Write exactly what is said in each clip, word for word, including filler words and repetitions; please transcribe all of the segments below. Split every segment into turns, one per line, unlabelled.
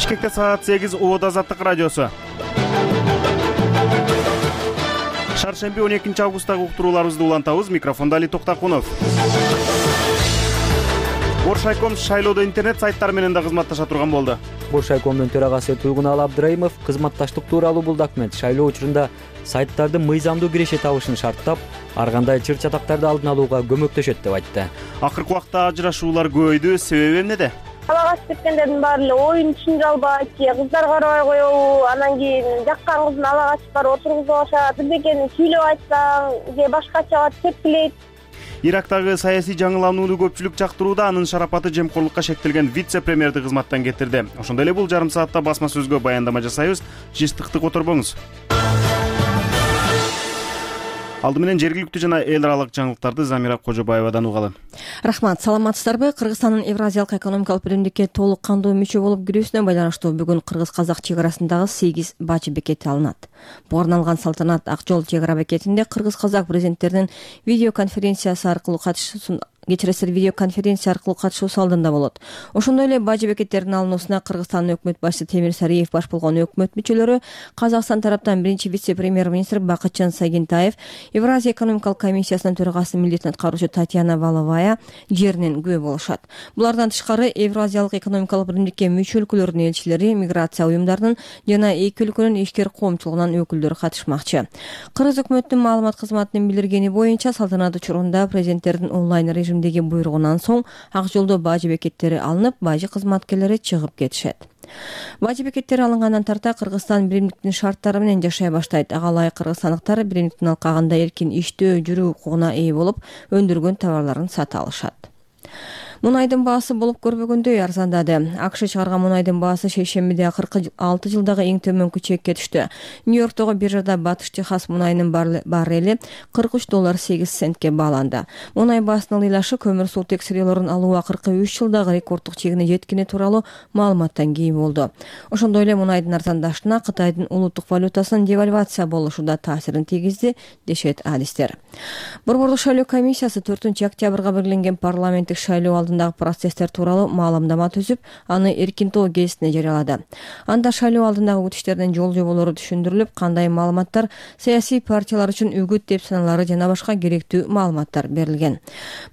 Бишкекте саат сегиз Убада Азаттык радиосу. Шаршемби он экинчи августтагы уктурууларыбызды улантабыз. Микрофонда Али Токтакунов. Боршайком шайлоодо интернет сайттар менен да кызматташа турган болду.
Боршайкомдун төрагасы Туйгуналы Абдыраимов кызматташтык тууралуу булдакмет шайлоо учурунда сайттарды мыйзамдуу киреше табышын шарттап, ар кандай чыр-чатактарды алдын алууга көмөктөшөт деп айтты.
Акыркы убакта ажырашуулар көбөйдү, себеби эмнеде?
Ала качып кеткендердин баары эле оюн түшүнө албайт, кыздар карабай коебу, анан кийин жаккан кызын ала качып барып отургузуп алышат, бирдекени сүйлөп айтсаң же башкача тепкилейт.
Ирактагы саясий жаңыланууну көпчүлүк жактырууда, анын шарапаты жемкорлукка шектелген вице-премьерди кызматтан кетирди. Ошондой эле бул жарым саатта басма сөзгө баяндама жасайбыз. Жыштыктык оторбоңуз. Алды менен жергиликтүү жана эл аралык жаңылыктарды Замира Кожобаевадан угалы.
Рахмат, саламатсыздарбы? Кыргызстандын Евразиялык экономикалык биримдикке толук кандуу мүчө болуп кирүүсүнө байланыштуу бүгүн кыргыз-казак чек арасындагы сегиз бачы бекети алынат. Буга арналган салтанат Ак жол чек ара бекетинде кыргыз-казак президенттеринин видеоконференциясы аркылуу катышуусун кечиресиз видеоконференция аркылуу катышуусу алдында болот. Ошондой эле бажы бекеттердин алынуусуна Кыргызстандын өкмөт башчысы Темир Сариев баш болгон өкмөт мүчөлөрү, Казакстан тараптан биринчи вице-премьер-министр Бакытжан Сагентаев, Евразия экономикалык комиссиясынын төрагасы милдетин аткаруучу Татьяна Валовая жеринен күбө болушат. Булардан тышкары Евразиялык экономикалык биримдикке мүчө өлкөлөрдүн элчилери, миграция уюмдарынын жана эки өлкөнүн ишкер коомчулугунун өкүлдөрү катышмакчы. Кыргыз өкмөтүнүн маалымат кызматынын билдиргени боюнча салтанат учурунда президенттердин онлайн режим буйругунан соң Ак жолдо бажы бекеттери алынып, бажы кызматкерлери чыгып кетишет. Бажы бекеттери алынгандан тарта Кыргызстан биримдиктин шарттары менен жашай баштайт. Ага ылайык кыргызстандыктар биримдиктин алкагында эркин иштөө, жүрүү укугуна ээ болуп, өндүргөн товарларын сата алышат. Мунайдын баасы болуп көрбөгөндөй арзандады. АКШ чыгарган мунайдын баасы шейшембиде кырк алты жылдагы эң төмөнкү чекке түштү. Нью-Йорктогу биржада Батыш Техас мунайынын баррели кырк үч доллар сегиз центке бааланды. Мунай баасынын ыйлашы көмүр сутек сырьёлорун алуу акыркы үч жылдагы рекорддук чегине жеткени тууралуу маалыматтан кийин болду. Ошондой эле мунайдын арзандашына Кытайдын улуттук валютасынын девальвация болушу да таасирин тийгизди, дешет адистер. Борбордук шайлоо комиссиясы төртүнчү октябрга белгиленген парламенттик шайлоо алдындагы процесстер тууралуу маалымдама түзүп, аны Эркинтоо гезитине жарыялады. Анда шайлоо алдындагы күтүштөрдүн жол жоболору түшүндүрүлүп, кандай маалыматтар саясий партиялар үчүн үгүт деп саналары жана башка керектүү маалыматтар берилген.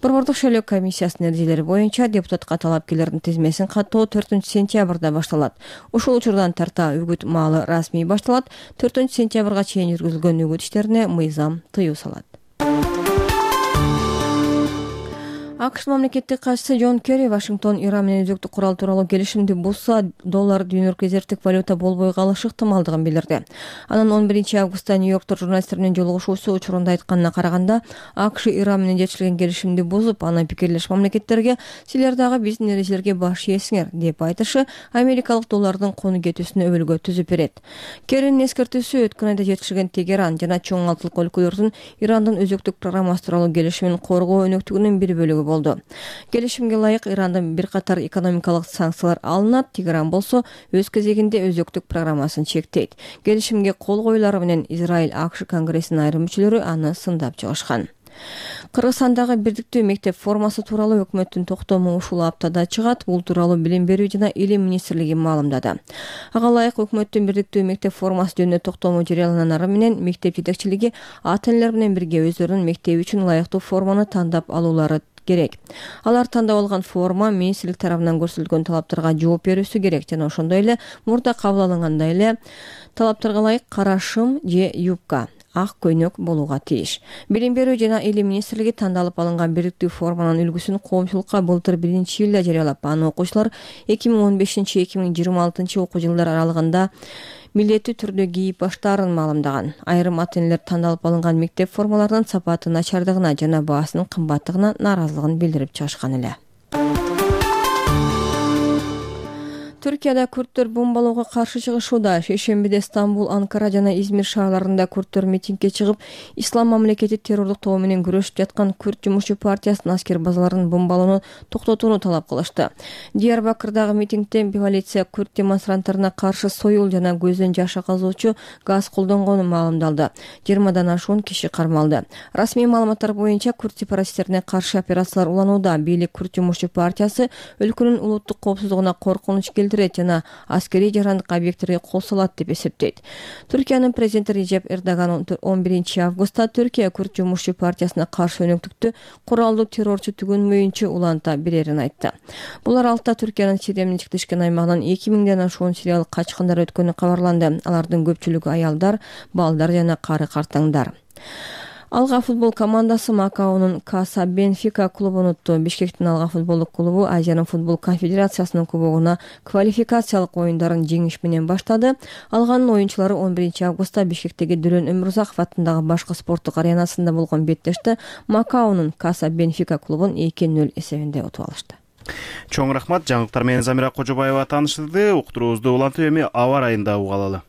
Борбордук шайлоо комиссиясынын эрежелери боюнча депутатка талапкерлердин тизмесин каттоо төртүнчү сентябрда башталат. Ушул учурдан тарта үгүт маалы расмий башталат. төртүнчү сентябрга чейин жүргүзүлгөн үгүт иштерине мыйзам тыюу салат. АКШ мамлекеттик катчысы Джон Керри Вашингтон Иран менен өзөктүк курал тууралуу келишимди бузса, доллар дүйнөлүк резервдик валюта болбой калышы ыктымалдыгын билдирди. Анын он биринчи августта Нью-Йоркто журналисттер менен жолугушуусу учурунда айтканына караганда, АКШ Иран менен жетишилген келишимди бузуп, аны пикирлеш мамлекеттерге силер дагы биздин эрежелерге баш ийесиңер деп айтышы америкалык доллардын кону кетүүсүнө өбөлгө түзүп берет. Керринин эскертүүсү өткөн айда жетишилген Тегеран жана чоң алтылык өлкөлөрдүн Ирандын өзөктүк программасы тууралуу келишимин коргоо өнөктүгүнүн бир бөлүгү болду. Келишимге ылайык Ирандан бир катар экономикалык санкциялар алынат, Тегеран болсо өз кезегинде өзөктүк программасын чектейт. Келишимге кол коюлары менен Израиль АКШ конгрессинин айрым мүчөлөрү аны сындап чыгышкан. Кыргызстандагы бирдиктүү мектеп формасы тууралуу өкмөттүн токтому ушул аптада чыгат. Бул тууралуу Билим берүү жана Илим министрлиги маалымдады. Ага ылайык өкмөттүн бирдиктүү мектеп формасы жөнүндө токтому жарыяланары менен мектеп жетекчилиги ата-энелер менен бирге өздөрүнүн мектеби үчүн ылайыктуу форманы тандап алуулары керек. Алар тандап алган форма министрлик тарабынан көрсөтүлгөн талаптарга жооп берүүсү керек жана ошондой эле мурда кабыл алынгандай эле талаптарга ылайык кара шым же юбка, ак көйнөк болууга тийиш. Билим берүү жана Илим министрлиги тандалып алынган бирдиктүү форманын үлгүсүн коомчулукка былтыр биринчи июлда жарыялап, аны окуучулар эки миң он бешинчи эки миң жыйырма алтынчы окуу жылдар аралыгында милдеттүү түрдө кийип баштаарын маалымдаган. Айрым ата-энелер тандалып алынган мектеп формаларынын сапаты начардыгына жана баасынын кымбаттыгына нааразылыгын билдирип чыгышкан эле. Түркияда күрттөр бомбалоого каршы чыгышууда. Шейшембиде Стамбул, Анкара жана Измир шаарларында күрттөр митингге чыгып, Ислам мамлекети террорлук тобу менен күрөшүп жаткан Күрт жумушчу партиясынын аскер базаларын бомбалоону токтотууну талап кылышты. Диярбакырдагы митингде полиция күрт демонстранттарына каршы союл жана көздөн жаш акызуучу газ колдонгону маалымдалды. жыйырмадан ашуун киши кармалды. Расмий маалыматтар боюнча күрт сепаратисттерине каршы операциялар уланууда. Бийлик Күрт жумушчу партиясы өлкөнүн улуттук коопсуздугуна коркунуч келтирди интернет жана аскерий жарандык объекттерге кол салат деп эсептейт. Түркиянын президенти Режеп Эрдоган он биринчи августта Түркия Күрд жумушчу партиясына каршы өнөктүктү куралдуу террорчу түгөнмөйүнчө уланта берерин айтты. Бул аралыкта Түркиянын Сирия менен чектешкен аймагынан эки миңден ашуун сириялык качкындар өткөнү кабарланды. Алардын көпчүлүгү аялдар, балдар жана кары картаңдар. Алга футбол командасы Макаонун Каса Бенфика клубун утту. Бишкектин Алга футболдук клубу Азиянын футбол конфедерациясынын кубогуна квалификациялык оюндарын жеңиш менен баштады. Алганын оюнчулары он биринчи августта Бишкектеги Дүрөн Өмүрзаков атындагы башкы спорттук аренасында болгон беттеште Макаонун Каса Бенфика клубун эки нөл эсебинде утуп алышты.
Чоң рахмат. Жаңылыктар менен Замира Кожобаева тааныштырды. Уктуруубузду улантып эми аба ырайында уга алалы.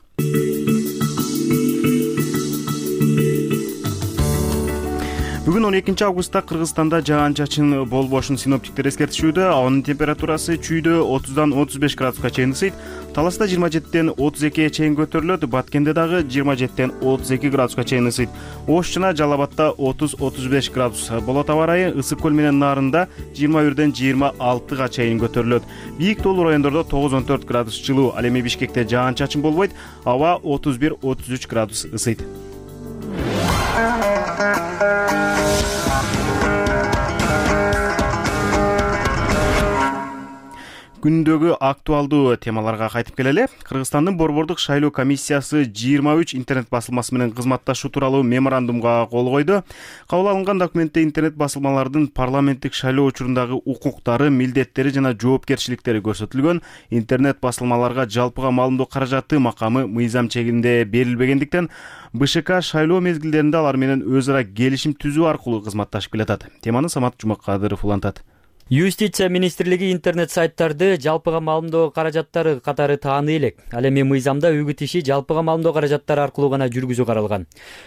Бүгүн он экинчи августта Кыргызстанда жаан-чачын болбошун синоптиктер эскертишүүдө. Абанын температурасы чүйдө отуздан отуз беш градуска чейин ысыйт. Таласта жыйырма жетиден отуз экиге чейин көтөрүлөт. Баткенде дагы жыйырма жетиден отуз эки градуска чейин ысыйт. Ош жана Жалал Абадта отуз отуз беш градус болот аба ырайы. Ысык көл менен Нарында жыйырма бирден жыйырма алтыга чейин көтөрүлөт. Бийик тоолуу райондордо тогуз он төрт градус жылуу. Ал эми Бишкекте жаан-чачын болбойт. Аба отуз бир отуз үч градус ысыйт. Күндөгү актуалдуу темаларга кайтып келели. Кыргызстандын Борбордук шайлоо комиссиясы жыйырма үч интернет басылмасы менен кызматташуу тууралуу меморандумга кол койду. Кабыл алынган документте интернет басылмалардын парламенттик шайлоо учурундагы укуктары, милдеттери жана жоопкерчиликтери көрсөтүлгөн. Интернет басылмаларга жалпыга маалымдоо каражаты макамы мыйзам чегинде берилбегендиктен БШК шайлоо мезгилдеринде алар менен өз ара келишим түзүү аркылуу кызматташып келатат. Теманы Самат Жумакадыров улантат.
Юстиция министрлиги интернет сайттарды жалпыга маалымдоо каражаттары катары тааны элек. Ал эми мыйзамда үгүт иши жалпыга маалымдоо каражаттары аркылуу гана жүргүзүү каралган.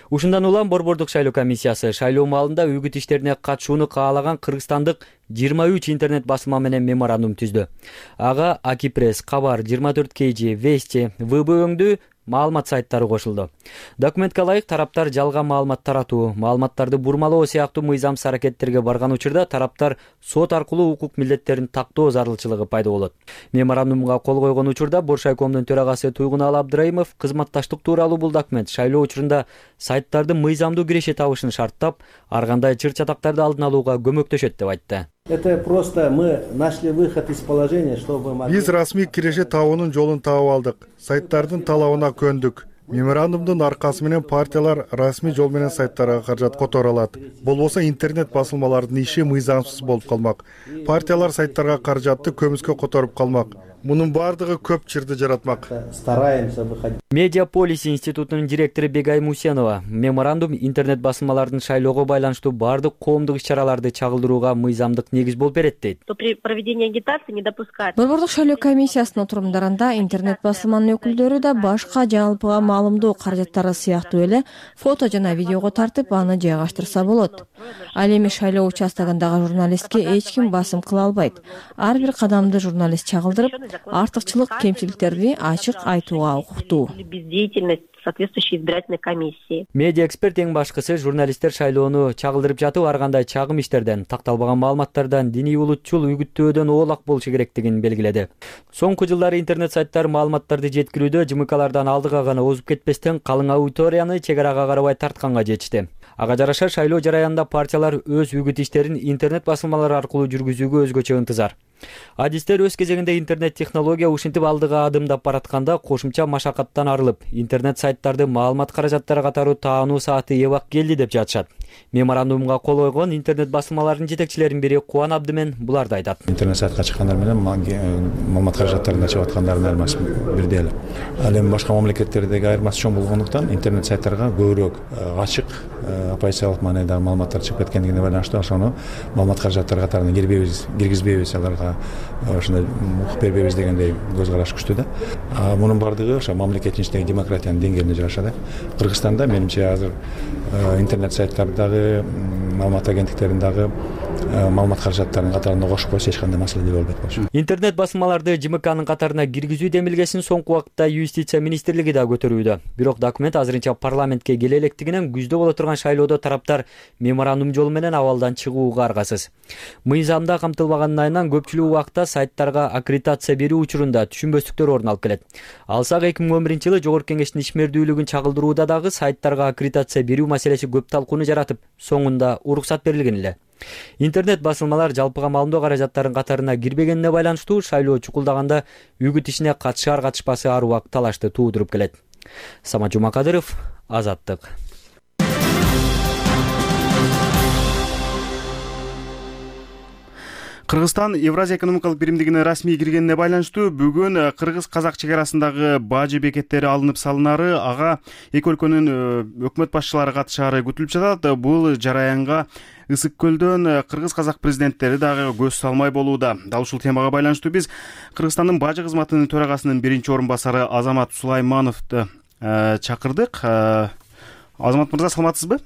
Ушундан улам Борбордук шайлоо комиссиясы шайлоо маалында үгүт иштерине катышууну каалаган кыргызстандык жыйырма үч интернет басылма менен меморандум түздү. Ага Акипресс, Кабар, жыйырма төрт кей жи, Вести, ВБ өңдүү маалымат сайттары кошулду. Документке ылайык тараптар жалган маалымат таратуу, маалыматтарды бурмалоо сыяктуу мыйзамсыз аракеттерге барган учурда тараптар сот аркылуу укук милдеттерин тактоо зарылчылыгы пайда болот. Меморандумга кол койгон учурда Боршайкомдун төрагасы Туйгуналы Абдыраимов кызматташтык тууралуу бул документ шайлоо учурунда сайттарды мыйзамдуу киреше табышын шарттап, ар кандай чыр-чатактарды алдын алууга көмөктөшөт деп айтты.
Это просто мы нашли выход из положения, чтобы мы...
Биз расмий киреше табуунун жолун таап алдык. Сайттардын талабына көндүк. Меморандумдун аркасы менен партиялар расмий жол менен сайттарга каражат которо алат. Болбосо интернет басылмалардын иши мыйзамсыз болуп калмак. Партиялар сайттарга каражатты көмүскө которуп калмак. Мунун баардыгы көп чырды жаратмак.
Стараемся выходить.
Медиаполис институтунун директору Бегай Мусенова меморандум интернет басылмалардын шайлоого байланыштуу баардык коомдук иш-чараларды чагылдырууга мыйзамдык негиз болуп берет дейт.
При проведении агитации не допускать.
Борбордук шайлоо комиссиясынын отурумдарында интернет басылманын өкүлдөрү да башка жалпыга маалымдоо каражаттары сыяктуу эле фото жана видеого тартып аны жайгаштырса болот. Ал эми шайлоо участогундагы журналистке эч ким басым кыла албайт. Ар бир кадамды журналист чагылдырып, артыкчылык кемчиликтерди ачык айтууга укуктуу.
Бездеятельность соответствующей избирательной комиссии.
Медиа эксперт эң башкысы журналисттер шайлоону чагылдырып жатып ар кандай чагым иштерден, такталбаган маалыматтардан, диний улутчул үгүттөөдөн оолак болушу керектигин белгиледи. Соңку жылдары интернет сайттар маалыматтарды жеткирүүдө жымыкалардан алдыга гана озуп кетпестен калың аудиторияны чек арага карабай тартканга жетишти. Ага жараша шайлоо жараянында партиялар өз үгүт иштерин интернет басылмалары аркылуу жүргүзүүгө өзгөчө ынтызар. Адистер өз кезегинде интернет технология ушинтип алдыга адымдап баратканда кошумча машакаттан арылып, интернет сайттарды маалымат каражаттары катары таануу сааты эбак келди деп жатышат. Меморандумга кол койгон интернет басылмаларынын жетекчилеринин бири Кубан Абдымен буларды айтат.
Интернет сайтка чыккандар менен маалымат каражаттарын ачып аткандардын айырмасы бирдей эле. Ал эми башка мамлекеттердеги айырмасы чоң болгондуктан интернет сайттарга көбүрөөк ачык, оппозициялык маанайдагы маалыматтар чыгып кеткендигине байланыштуу ошону маалымат каражаттары катарына кирбейбиз, киргизбейбиз, аларга ошондой укук бербейбиз дегендей көз караш күчтүү да. Мунун баардыгы ошо мамлекеттин ичиндеги демократиянын деңгээлине жараша да. Кыргызстанда менимче азыр интернет сайттардагы, маалымат агенттиктериндагы маалымат каражаттарынын катарына кошуп койсо эч кандай маселе болбойт болчу.
Интернет басылмаларды ЖМКнын катарына киргизүү демилгесин соңку убакытта юстиция министрлиги да көтөрүүдө. Бирок документ азырынча парламентке келе электигинен күздө боло турган шайлоодо тараптар меморандум жолу менен абалдан чыгууга аргасыз. Мыйзамда камтылбагандын айынан көпчүлүк убакта сайттарга аккредитация берүү учурунда түшүнбөстүктөр орун алып келет. Алсак эки миң он биринчи жылы Жогорку Кеңештин ишмердүүлүгүн чагылдырууда дагы сайттарга аккредитация берүү маселеси көп талкууну жаратып, соңунда уруксат берилген эле. Интернет басылмалар жалпыга маалымдоо каражаттарынын катарына кирбегенине байланыштуу шайлоо чукулдаганда үгүт ишине катышар катышпасы ар убак талашты туудуруп келет. Самат Жумакадыров, Азаттык.
Кыргызстан Евразия экономикалык биримдигине расмий киргенине байланыштуу бүгүн кыргыз-казак чек арасындагы бажы бекеттери алынып салынары, ага эки өлкөнүн өкмөт башчылары катышаары күтүлүп жатат. Бул жараянга Ысык көлдөн кыргыз-казак президенттери дагы көз салмай болууда. Дал ушул темага байланыштуу биз Кыргызстандын бажы кызматынын төрагасынын биринчи орун басары Азамат Сулаймановду чакырдык. Азамат мырза, саламатсызбы?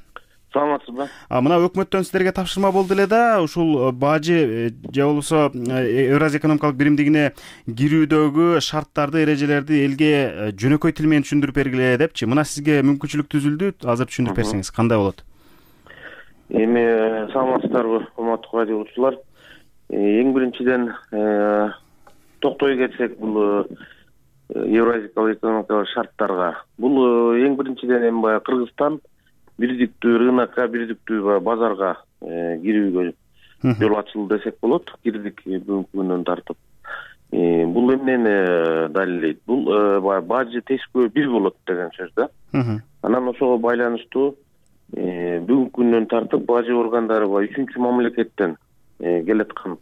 Саламатсызбы?
Мына өкмөттөн сиздерге тапшырма болду эле да, ушул бажы же болбосо Евразия экономикалык биримдигине кирүүдөгү шарттарды, эрежелерди элге жөнөкөй тил менен түшүндүрүп бергиле депчи. Мына сизге мүмкүнчүлүк түзүлдү. Азыр түшүндүрүп берсеңиз кандай болот?
Эми саламатсыздарбы, урматтуу радио угуучулар. Эң биринчиден токтой кетсек, бул Евразиялык экономикалык шарттарга. Бул эң биринчиден эми баягы Кыргызстан бирдиктүү рынокко, бирдиктүү базарга кирүүгө жол ачылды десек болот. Кирдик бүгүнкү күндөн тартып. Бул эмнени далилдейт? Бул баягы бажы тескөө бир болот деген сөз да. Анан ошого байланыштуу бүгүнкү күндөн тартып бажы органдары баягы үчүнчү мамлекеттен келаткан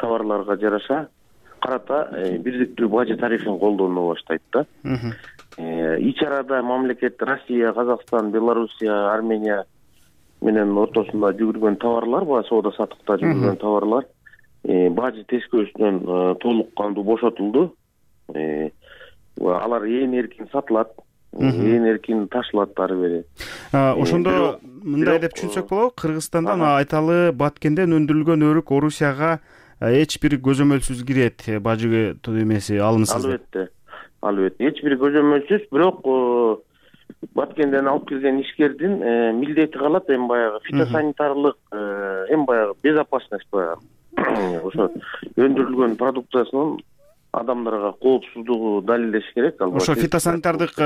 товарларга жараша карата бирдиктүү бажы тарифин колдоно баштайт да. Ич арада мамлекет Россия, Казакстан, Белоруссия, Армения менен ортосунда жүгүргөн товарлар, баягы соода саттыкта жүгүргөн товарлар бажы тескөөсүнөн толук кандуу бошотулду. Алар ээн эркин сатылат, ээн эркин ташылат ары бери.
Ошондо мындай деп түшүнсөк болобу, Кыргызстандан айталы Баткенден өндүрүлгөн өрүк Орусияга эч бир көзөмөлсүз кирет, бажы эмеси алынсыз.
Албетте. Албетте. Эч бир көзөмөлсүз, бирок Баткенден алып келген ишкердин милдети калат, эми баягы фитосанитарлык, эми баягы безопасность баягы. Ошо өндүрүлгөн продукциясынын адамдарга коопсуздугу далилдеш керек.
Ошо фитосанитардык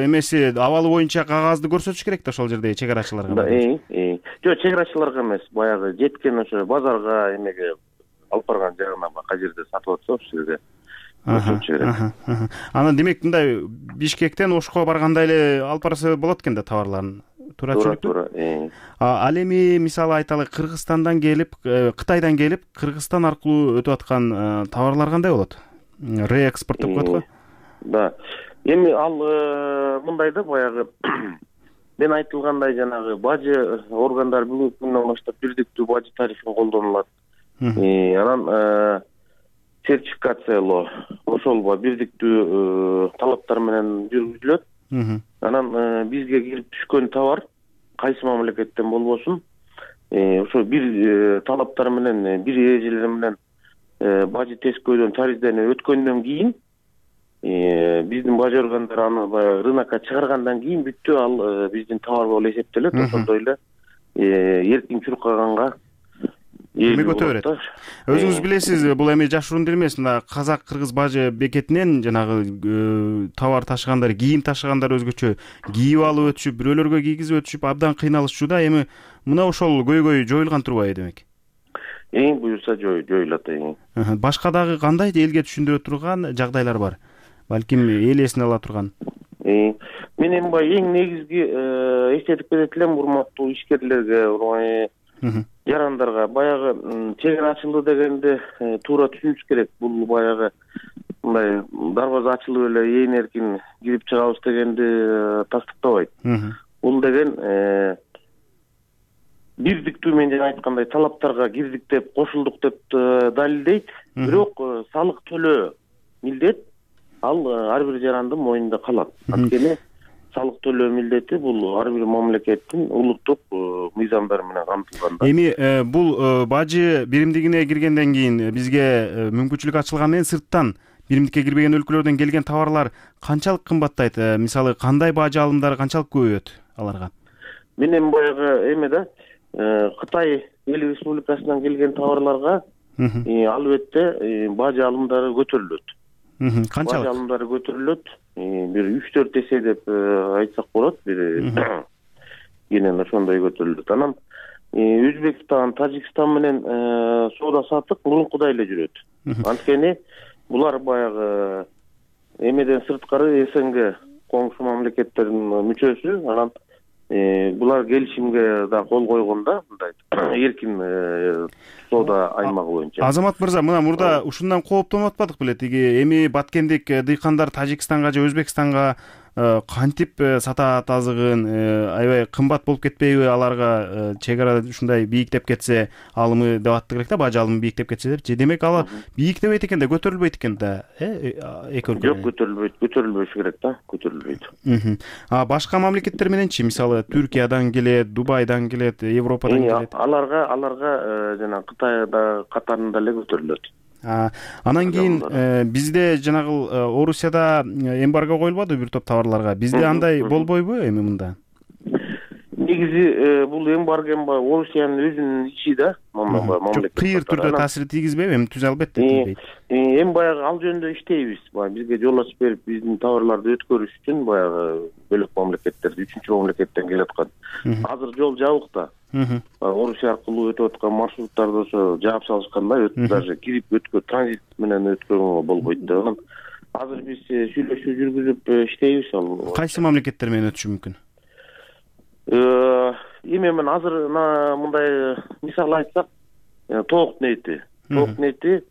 эмеси абалы боюнча кагазды көрсөтүш керек да ошол жердеги чек арачыларга.
Жок, чек арачыларга эмес, баягы жеткен ошо базарга эмеге алып барган жагына кай жерде сатып атса ошол жерде көрсөтүш керек.
Анан демек мындай Бишкектен Ошко барганда эле алып барса болот экен да товарларын. Туура түшүнүктүү. Ал эми мисалы айталы Кыргызстандан келип, Кытайдан келип, Кыргызстан аркылуу өтүп аткан товарлар кандай болот? Реэкспорт деп коет го?
Да. Эми ал мындай да, баягы мен айтылгандай жанагы бажы органдары бүгүнкү күндөн баштап бирдиктүү бажы тарифин колдонулат. Анан сертификациялоо ошол бирдиктүү талаптар менен жүргүзүлөт. Анан бизге кирип түшкөн товар кайсы мамлекеттен болбосун, ошо бир талаптар менен, бир эрежелер менен бажы тескөөдөн тарифтен өткөндөн кийин биздин бажы органдары аны баягы рынокко чыгаргандан кийин бүттү ал биздин товар болуп эсептелет. Ошондой эле эркин чуркаганга
эми өтө берет. Өзүңүз билесиз, бул эми жашыруун эмес, мына казак-кыргыз бажы бекетинен жанагы товар ташыгандар, кийим ташыгандар өзгөчө кийип алып өтүшүп, бирөөлөргө кийгизип өтүшүп абдан кыйналышчу да. Эми мына ошол көйгөй жоюлган турбайбы демек?
Эң буюрса жоюлат.
Башка дагы кандай элге түшүндүрө турган жагдайлар бар? Балким эл эсине ала турган.
Мен эми баягы эң негизги эстетип кетет элем урматтуу ишкерлерге, жарандарга, баягы чек ара ачылды дегенде туура түшүнүш керек. Бул баягы мындай дарбаза ачылып эле ээн эркин кирип чыгабыз дегенди тастыктабайт. Бул деген бирдиктүү, мен жана айткандай, талаптарга кирдик деп, кошулдук деп далилдейт. Бирок салык төлөө милдет ал ар бир жарандын мойнунда калат. Анткени салык төлөө милдети бул ар бир мамлекеттин улуттук мыйзамдары менен камтылган.
Эми бул бажы биримдигине киргенден кийин бизге мүмкүнчүлүк ачылган менен сырттан биримдикке кирбеген өлкөлөрдөн келген товарлар канчалык кымбаттайт? Мисалы кандай бажы алымдары канчалык көбөйөт аларга?
Мен эми баягы эме да Кытай эл республикасынан келген товарларга албетте бажы алымдары көтөрүлөт.
Канчалык?
Бажы алымдары көтөрүлөт. Бир үч төрт эсе деп айтсак болот. Бир кенен ошондой көтөрүлөт. Анан Өзбекстан, Тажикстан менен соода саттык мурункудай эле жүрөт. Анткени булар баягы эмеден сырткары СНГ коңшу мамлекеттердин мүчөсү. Анан булар келишимге да кол койгондо мындай эркин соода аймагы боюнча.
Азамат мырза, мына мурда ушундан кооптонуп атпадык беле? Тиги эми баткендик дыйкандар Тажикстанга же Өзбекстанга кантип сатаат азыгын, аябай кымбат болуп кетпейби аларга? Чек ара ушундай бийиктеп кетсе алымы деп аттык элек да, бажы алымы бийиктеп кетсе деп. Же демек алар бийиктебейт экен да, көтөрүлбөйт экен да, э эки өлкө?
Жок, көтөрүлбөйт, көтөрүлбөшү керек да, көтөрүлбөйт.
А башка мамлекеттер мененчи, мисалы Түркиядан келет, Дубайдан келет, Европадан келет?
Аларга аларга жана Кытайда катарында эле көтөрүлөт.
Анан кийин бизде жанагыл Орусияда эмбарго коюлбадыбы бир топ товарларга? Бизде андай болбойбу эми мында?
Негизи бул эмбарго Орусиянын өзүнүн ичи да, мамлекет.
Кыйыр түрдө таасир тийгизбейби? Эми түз албетте тийбейт.
Эми баягы ал жөнүндө иштейбиз. Баягы бизге жол ачып берип, биздин товарларды өткөрүш үчүн баягы бөлөк мамлекеттерди, үчүнчү мамлекеттен келаткан. Азыр жол жабык да. Орусия аркылуу өтүп аткан маршруттарды ошо жаап салышкандай, даже кирип өткө транзит менен өткөрүүгө болбойт да. Анан азыр биз сүйлөшүү жүргүзүп иштейбиз ал.
Кайсы мамлекеттер менен өтүшү мүмкүн?
Эми мен азыр мындай мисал айтсак, тоок нети. Тоок нети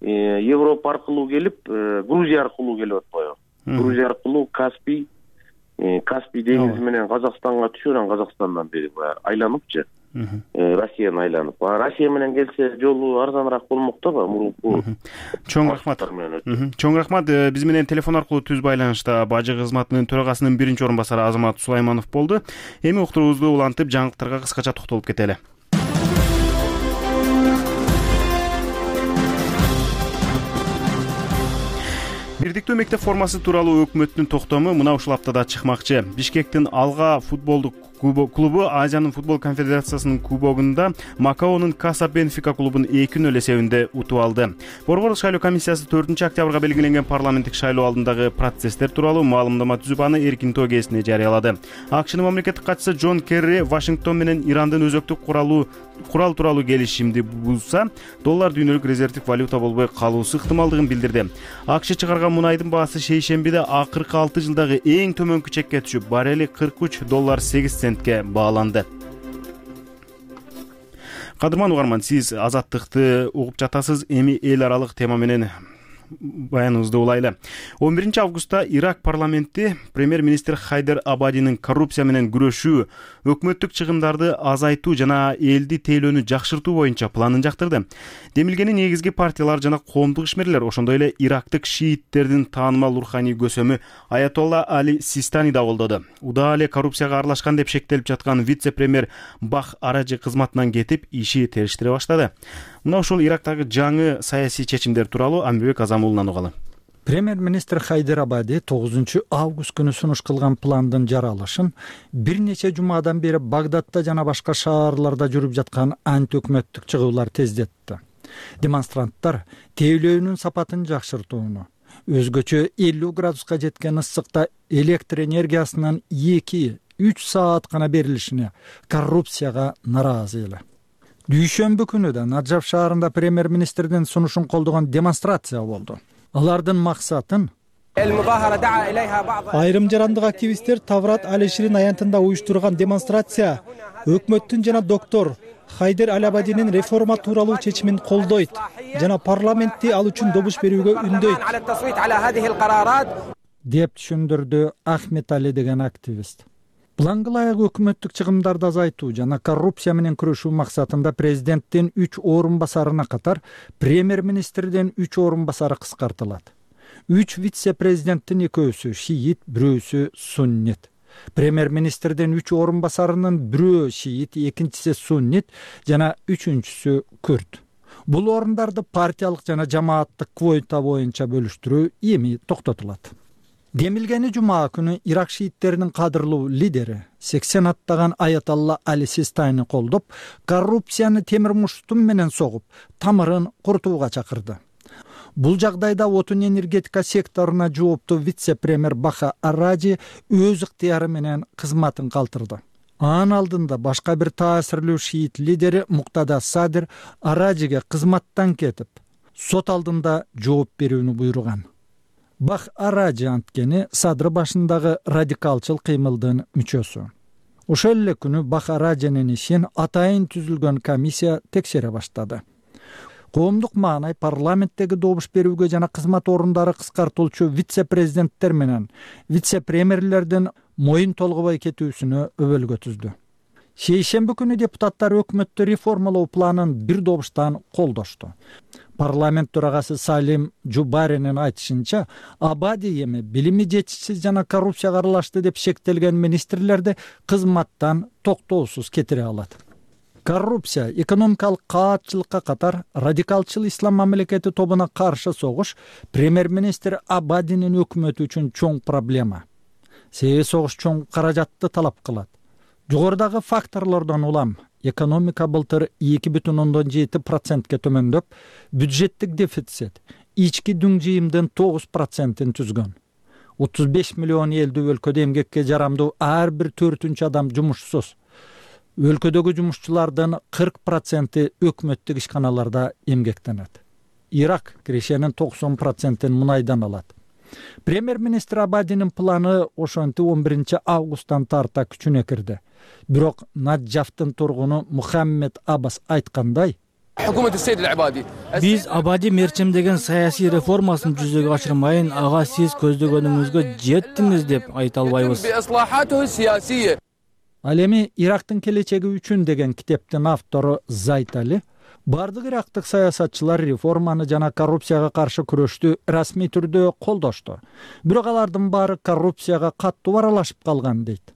Европа аркылуу келип, Грузия аркылуу келип атпайбы? Грузия аркылуу Каспий Каспий деңизи менен Казакстанга түшүп, анан Казакстандан бери баягы айланыпчы, Россияны айланып. Россия менен келсе жолу арзаныраак болмок да, мурунку.
Чоң рахмат. Чоң рахмат. Биз менен телефон аркылуу түз байланышта бажы кызматынын төрагасынын биринчи орун басары Азамат Сулайманов болду. Эми уктуруубузду улантып жаңылыктарга кыскача токтолуп кетели. Бирдиктүү мектеп формасы тууралуу өкмөттүн токтому мына ушул аптада чыкмакчы. Бишкектин Алга футболдук клубу Азиянын футбол конфедерациясынын кубогунда Макаонун Каса Бенфика клубун эки нөл эсебинде утуп алды. Борбордук шайлоо комиссиясы төртүнчү октябрга белгиленген парламенттик шайлоо алдындагы процесстер тууралуу маалымдама түзүп, аны эркинтөө кезине жарыялады. АКШнын мамлекеттик катчысы Джон Керри Вашингтон менен Ирандын өзөктүк куралуу курал тууралуу келишимди бузса, доллар дүйнөлүк резервдик валюта болбой калуусу ыктымалдыгын билдирди. АКШ чыгарган мунайдын баасы шейшембиде акыркы алты жылдагы эң төмөнкү чекке түшүп, баррели кырк үч доллар сегиз центке бааланды. Кадырман угарман, сиз азаттыкты угуп жатасыз. Эми эл аралык тема менен баяныбызды улайлы. он биринчи августта Ирак парламенти премьер-министр Хайдер Абадинин коррупция менен күрөшүү, өкмөттүк чыгымдарды азайтуу жана элди тейлөөнү жакшыртуу боюнча планын жактырды. Демилгени негизги партиялар жана коомдук ишмерлер, ошондой эле ирактык шииттердин таанымал руханий көсөмү Аятолла Али Систани да колдоду. Удаа эле коррупцияга аралашкан деп шектелип жаткан вице-премьер Бах Аражи кызматынан кетип, иши териштире баштады. Мына ушул Ирактагы жаңы саясий чечимдер тууралуу Амбебек Азамулунан угалы.
Премьер-министр Хайдер Абади тогузунчу август күнү сунуш кылган пландын жаралышын бир нече жумадан бери Багдадта жана башка шаарларда жүрүп жаткан антиөкмөттүк чыгуулар тездетти. Демонстранттар тейлөөнүн сапатын жакшыртууну, өзгөчө элүү градуска жеткен ысыкта электр энергиясынын эки үч саат гана берилишине, коррупцияга наразы эле. Дүйшөмбү күнү да Наджаф шаарында премьер-министрдин сунушун колдогон демонстрация болду. Алардын максатын айрым жарандык активисттер Таврат Алиширин аянтында уюштурган демонстрация өкмөттүн жана доктор Хайдер Алабадинин реформа тууралуу чечимин колдойт жана парламентти ал үчүн добуш берүүгө үндөйт деп түшүндүрдү Ахмет Али деген активист. Планга ылайык өкмөттүк чыгымдарды азайтуу жана коррупция менен күрөшүү максатында президенттин үч орун басарына катар премьер-министрдин үч орун басары кыскартылат. Үч вице-президенттин экөөсү шиит, бирөөсү суннит. Премьер-министрдин үч орун басарынын бирөө шиит, экинчиси суннит жана үчүнчүсү күрд. Бул орундарды партиялык жана жамааттык квота боюнча бөлүштүрүү эми токтотулат. Демилгени жума күнү Ирак шииттеринин кадырлуу лидери сексен аттаган Аятолла Али Систайны колдоп, коррупцияны темир муштум менен согуп, тамырын курутууга чакырды. Бул жагдайда отун энергетика секторуна жооптуу вице-премьер Баха Араджи өз ыктыяры менен кызматын калтырды. Анын алдында башка бир таасирлүү шиит лидери Муктада Садыр Араджиге кызматтан кетип, сот алдында жооп берүүнү буйруган. Бах Араджи анткени Садыр башындагы радикалчыл кыймылдын мүчөсү. Ошол эле күнү Бах Араджинин ишин атайын түзүлгөн комиссия текшере баштады. Коомдук маанай парламенттеги добуш берүүгө жана кызмат орундары кыскартылчу вице-президенттер менен вице-премьерлердин моюн толгобой кетүүсүнө өбөлгө түздү. Шейшемби күнү депутаттар өкмөттү реформалоо планын бир добуштан колдошту. Парламент төрагасы Салим Жубаринин айтышынча, Абади эми билими жетишсиз жана коррупцияга аралашты деп шектелген министрлерди кызматтан токтоосуз кетире алат. Коррупция, экономикалык каатчылыкка катар радикалчыл ислам мамлекети тобуна каршы согуш премьер-министр Абадинин өкмөтү үчүн чоң проблема. Себеби согуш чоң каражатты талап кылат. Жогорудагы факторлордон улам экономика былтыр эки бүтүн ондон жети процентке төмөндөп, бюджеттик дефицит ички дүң жыйымдын тогуз процентин түзгөн. отуз беш миллион элдүү өлкөдө эмгекке жарамдуу ар бир төртүнчү адам жумушсуз. Өлкөдөгү жумушчулардын кырк проценти өкмөттүк ишканаларда эмгектенет. Ирак киришенин токсон процентин мунайдан алат. Премьер-министр Абадинин планы ошентип он биринчи августтан тарта күчүнө кирди. Бирок Наджафтын тургуну Мухаммед Аббас айткандай,
биз Абади мерчемдеген саясий реформасын жүзөгө ашырмайын, ага сиз көздөгөнүңүзгө жеттиңиз деп айта албайбыз.
Ал эми Ирактын келечеги үчүн деген китептин автору Зайт Али бардык ирактык саясатчылар реформаны жана коррупцияга каршы күрөштү расмий түрдө колдошту. Бирок алардын баары коррупцияга каттуу аралашып калган дейт.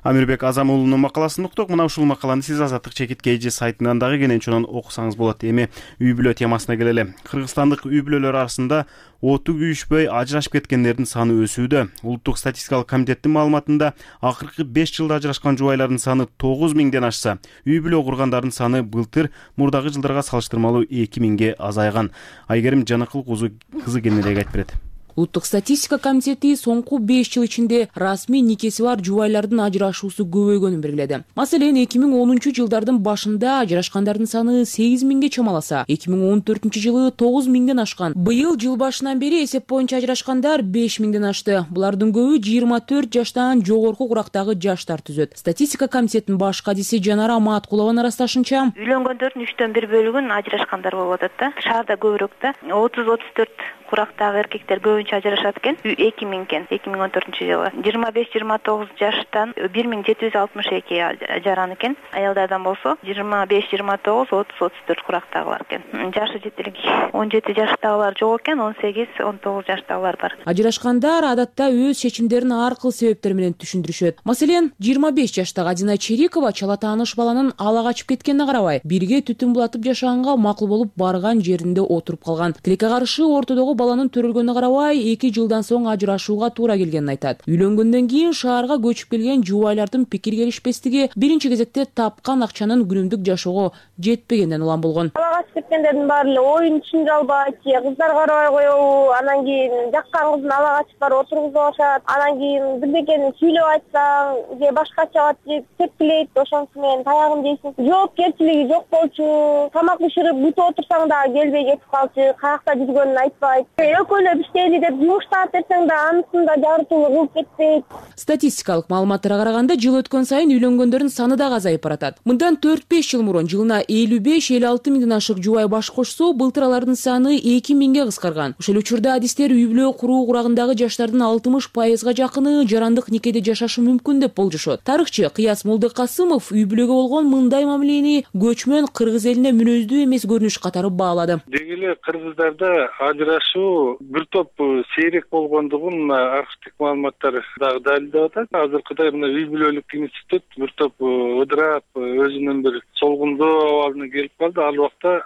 Амирбек Азамуулунун макаласын уктук. Мына ушул макаланы сиз Азаттык чекит кей жи сайтынан дагы кенен окусаңыз болот. Эми үй бүлө темасына келели. Кыргызстандык үй бүлөлөр арасында оту күйүшпөй ажырашып кеткендердин саны өсүүдө. Улуттук статистикалык комитеттин маалыматында акыркы беш жылда ажырашкан жубайлардын саны тогуз миңден ашса, үй бүлө кургандардын саны былтыр мурдагы жылдарга салыштырмалуу эки миңге азайган. Айгерим Жаныкыл кызы кененирээк айтып берет.
Улуттук статистика комитети соңку беш жыл ичинде расмий никеси бар жубайлардын ажырашуусу көбөйгөнүн белгиледи. Маселен, эки миң онунчу жылдардын башында ажырашкандардын саны сегиз миңге чамаласа, эки миң он төртүнчү жылы тогуз миңден ашкан. Быйыл жыл башынан бери эсеп боюнча ажырашкандар беш миңден ашты. Булардын көбү жыйырма төрт жаштан жогорку курактагы жаштар түзөт. Статистика комитетинин баш кадиси Жанара Маткулованын ырасташынча,
үйлөнгөндөрдүн үчтөн бир бөлүгүн ажырашкандар болуп атат да. Шаарда көбүрөөк да. отуз отуз төрт курактагы эркектер көбүнчө ажырашат экен. эки миң экен, эки миң он төртүнчү жылы. жыйырма беш жыйырма тогуз жаштан бир миң жети жүз алтымыш эки ажаран экен. Аялдардан болсо жыйырма беш жыйырма тогуз отуз отуз төрт курактагылар экен. Жашы жетилик он жети жаштагылар жок экен, он сегиз он тогуз жаштагылар бар.
Ажырашкандар адатта өз чечимдерин ар кыл себептер менен түшүндүрүшөт. Маселен, жыйырма беш жаштагы Адина Черикова чала тааныш баланын ала качып кеткенине карабай, бирге түтүн булатып жашаганга макул болуп барган жеринде отуруп калган. Тилекке каршы ортодогу баланын төрөлгөнүнө карабай эки жылдан соң ажырашууга туура келгенин айтат. Үйлөнгөндөн кийин шаарга көчүп келген жубайлардын пикир келишпестиги биринчи кезекте тапкан акчанын күнүмдүк жашоого жетпегенден улам болгон.
Ала качып кеткендердин баары эле оюн түшүнө албайт, кыздар карабай коебу, анан кийин жаккан кызын ала качып барып отургузуп алышат, анан кийин бирдекени сүйлөп айтсаң, же башкача деп тепкилейт, ошонусу менен таягын жейсиң. Жоопкерчилиги жок болчу, тамак бышырып бүтүп отурсаң да келбей кетип калчу, каякта жүргөнүн айтпайт. Экөөлөп иштейли деп жумуштап берсең да анысында жарытылуу кылып кетпейт.
Статистикалык маалыматтарга караганда жыл өткөн сайын үйлөнгөндөрдүн саны да азайып баратат. Мындан төрт беш жыл мурун жылына элүү беш элүү алты миңден ашык жубай баш кошсо, былтыр алардын саны эки миңге кыскарган. Ошол учурда адистер үй бүлө куруу курагындагы жаштардын алтымыш пайызга жакыны жарандык никеде жашашы мүмкүн деп болжошот. Тарыхчы Кыяс Молдокасымов үй бүлөгө болгон мындай мамилени көчмөн кыргыз элине мүнөздүү эмес көрүнүш катары баалады.
Деги эле кыргыздарда ажырашуу бир топ сейрек болгондугун мына архивдик маалыматтар дагы далилдеп атат. Азыркыдай мына үй бүлөлүк институт бир топ ыдырап өзүнүн бир солгундоо абалына келип калды. Ал убакта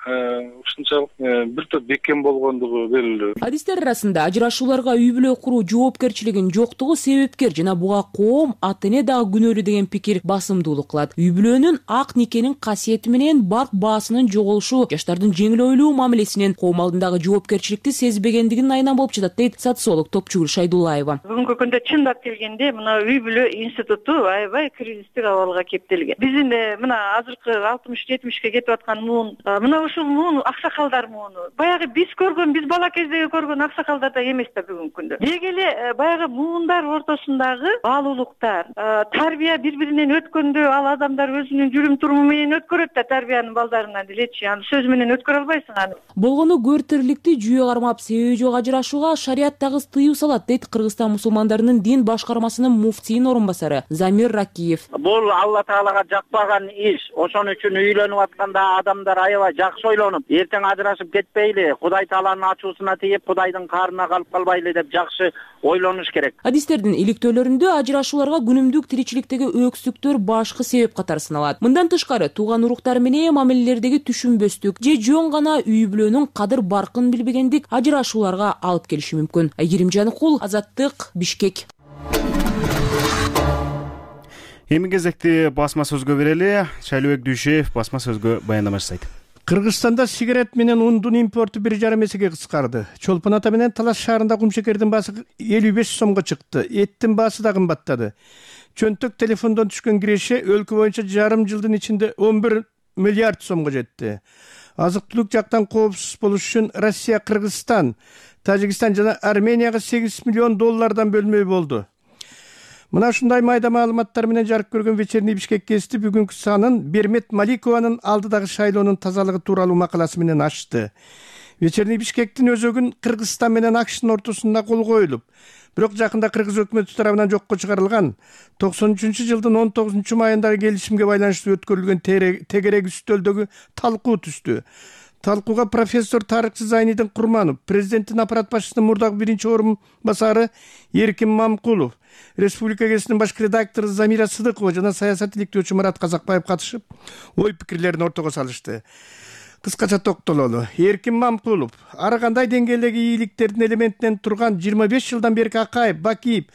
ушунчалык бир топ бекем болгондугу белгилүү.
Адистер арасында ажырашууларга үй бүлө куруу жоопкерчилигинин жоктугу себепкер жана буга коом, ата эне дагы күнөөлүү деген пикир басымдуулук кылат. Үй бүлөнүн ак никенин касиети менен барк баасынын жоголушу жаштардын жеңил ойлуу мамилесинен коом алдындагы жоопкерчиликти сезбегендигинин айынан болуп жатат дейт социолог Топчугул Шайдуллаева.
Бүгүнкү күндө чындап келгенде мына үй бүлө институту аябай кризистик абалга кептелген. Биздин мына азыркы алтымыш жетимишке кетип аткан муун мына ушул муун аксакалдар мууну баягы биз көргөн, биз бала кездеги көргөн аксакалдар да эмес да бүгүнкү күндө. Деги эле баягы муундар ортосундагы баалуулуктар, тарбия бири-биринен өткөндө ал адамдар өзүнүн жүрүм туруму менен өткөрөт да тарбиянын балдарынан делечи. Аны сөз менен өткөрө албайсың аны.
Болгону көртөрлүктү жүйө кармап себеби жок ажырашууга шарият дагы тыюу салат дейт Кыргызстан мусулмандарынын дин башкармасынын муфтийинин орун басары Замир Ракиев.
Бул Алла Таалага жакпаган иш. Ошон үчүн үйлөнүп атканда адамдар аябай жакшы ойлонуп, эртең ажырашып кетпейли, Кудай Тааланын ачуусуна тийип, Кудайдын каарына калып калбайлы деп жакшы ойлонуш керек.
Адистердин иликтөөлөрүндө ажырашууларга күнүмдүк тиричиликтеги өксүктөр башкы себеп катары саналат. Мындан тышкары тууган уруктар менен мамилелердеги түшүнбөстүк же жөн гана үй бүлөнүн кадыр баркын билбегендик ажырашууларга алып келиши мүмкүн. Айгерим Жаныкул, Азаттык, Бишкек.
Эми кезекти басма сөзгө берели. Шайлообек Дүйшеев басма сөзгө баяндама жасайт.
Кыргызстанда сигарет менен ундун импорту бир жарым эсеге кыскарды. Чолпон ата менен Талас шаарында кумшекердин баасы элүү беш сомго чыкты. Эттин баасы да кымбаттады. Чөнтөк телефондон түшкөн киреше өлкө боюнча жарым жылдын ичинде он бир миллиард сомго жетти. Азык-түлүк жактан коопсуз болуш үчүн Россия, Кыргызстан, Тажикстан жана Арменияга сегиз миллион доллардан бөлмөй болду. Мына ушундай майда маалыматтар менен жарык көргөн вечерний Бишкек гезити бүгүнкү санын Бермет Маликованын алдыдагы шайлоонун тазалыгы тууралуу макаласы менен ачты. Вечерний Бишкектин өзөгүн Кыргызстан менен АКШтын ортосунда кол коюлуп, бирок жакында кыргыз өкмөтү тарабынан жокко чыгарылган токсон үчүнчү жылдын он тогузунчу майындагы келишимге байланыштуу өткөрүлгөн тегерек үстөлдөгү талкуу түштү. Талкууга профессор тарыхчы Зайнидин Курманов, президенттин аппарат башчысынын мурдагы биринчи орун басары Эркин Мамкулов, Республика гезитинин башкы редактору Замира Сыдыкова жана саясат иликтөөчү Марат Казакбаев катышып, ой пикирлерин ортого салышты. Кыскача токтололу. Эркин Мамкулов ар кандай деңгээлдеги ийгиликтердин элементинен турган жыйырма беш жылдан берки Акаев, Бакиев,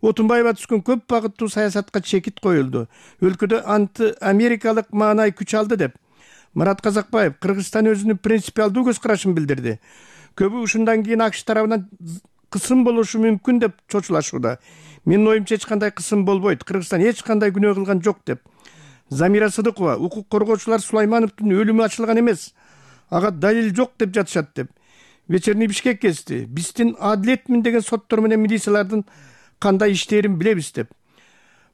Отунбаева түшкөн көп багыттуу саясатка чекит коюлду. Өлкөдө анти-америкалык маанай күч алды деп Марат Казакбаев Кыргызстан өзүнүн принципиалдуу көз карашын билдирди. Көбү ушундан кийин АКШ тарабынан кысым болушу мүмкүн деп чочулашууда. Менин оюмча эч кандай кысым болбойт. Кыргызстан эч кандай күнөө кылган жок деп. Замира Сыдыкова укук коргоочулар Сулаймановдун өлүмү ачылган эмес, ага далил жок деп жатышат деп. Вечерний Бишкек гезити биздин адилетмин деген соттор менен милициялардын кандай иштерин билебиз деп.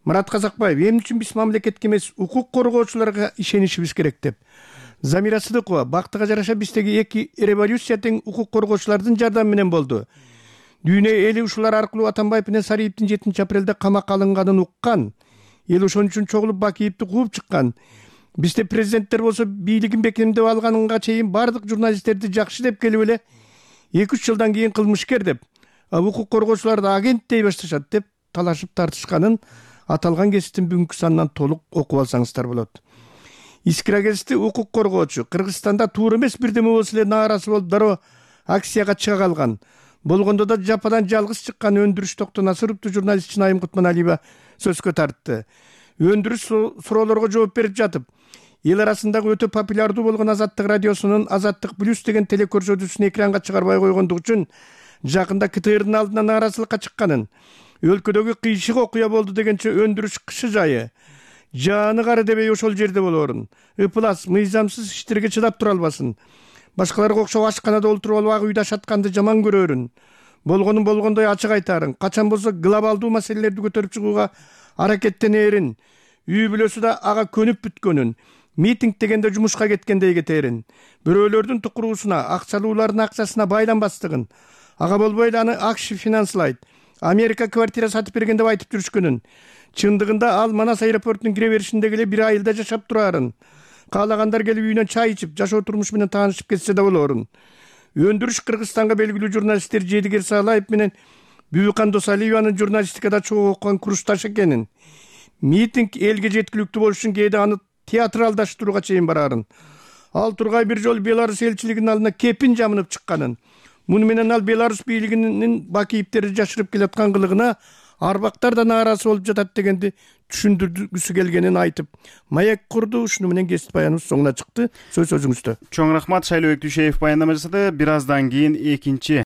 Марат Казакбаев эмне үчүн биз мамлекетке эмес укук коргоочуларга ишенишибиз керек деп. Замира Сыдыкова бактыга жараша биздеги эки революция тең укук коргоочулардын жардамы менен болду. Дүйнө эли ушулар аркылуу Атамбаев менен Сариевдин жетинчи апрелде камакка алынганын уккан. Эл ошон үчүн чогулуп Бакиевди кууп чыккан. Бизде президенттер болсо бийлигин бекемдеп алганга чейин бардык журналисттерди жакшы деп келип эле эки үч жылдан кийин кылмышкер деп, укук коргоочуларды агент дей башташат деп талашып тартышканын аталган гезиттин бүгүнкү санынан толук окуп алсаңыздар болот. Искра гезити укук коргоочу Кыргызстанда туура эмес бирдеме болсо эле нааразы болуп дароо акцияга чыга калган. Болгондо да жападан жалгыз чыккан Өндүрүш Токтонасыровду журналист Чынайым Кутманалиева сөзгө тартты. Өндүрүш суроолорго жооп берип жатып, эл арасындагы өтө популярдуу болгон Азаттык радиосунун Азаттык плюс деген телекөрсөтүүсүн экранга чыгарбай койгондугу үчүн жакында КТРдын алдына нааразылыкка чыкканын, өлкөдөгү кыйшык окуя болду дегенче өндүрүш кышы жайы жааны кары дебей ошол жерде болоорун, ыплас мыйзамсыз иштерге чыдап тура албасын, башкаларга окшоп ашканада олтуруп алып ак үйдө ашатканды жаман көрөрүн, болгонун болгондой ачык айтаарын, качан болсо глобалдуу маселелерди көтөрүп чыгууга аракеттенээрин, үй бүлөсү да ага көнүп бүткөнүн, митинг дегенде жумушка кеткендей кетээрин, бирөөлөрдүн тукуруусуна, акчалуулардын акчасына байланбастыгын, ага болбой эле аны АКШ финанслайт, Америка квартира сатып берген деп айтып жүрүшкөнүн, чындыгында ал Манас аэропортунун кире беришиндеги эле бир айылда жашап турарын, каалагандар келип үйүнөн чай ичип, жашоо турмуш менен таанышып кетсе да болоорун, өндүрүш Кыргызстанга белгилүү журналисттер Жедигер Саалаев менен Бүбүкан Досалиеванын журналистикада чогуу окуган курсташ экенин, митинг элге жеткиликтүү болуш үчүн кээде аны театралдаштырууга чейин барарын, ал Тургай бир жолу Беларусь элчилигинин алдына кепин жамынып чыкканын, муну менен ал Беларусь бийлигинин бакийиптерди жашырып келаткан кылыгына арбактар да нааразы болуп жатат дегенди түшүндүргүсү келгенин айтып, маек курду. Ушуну менен кесип баяныбыз соңуна чыкты. Сөз өзүңүздө.
Чоң рахмат. Шайлообек Дүйшеев баяндама жасады. Бир аздан кийин экинчи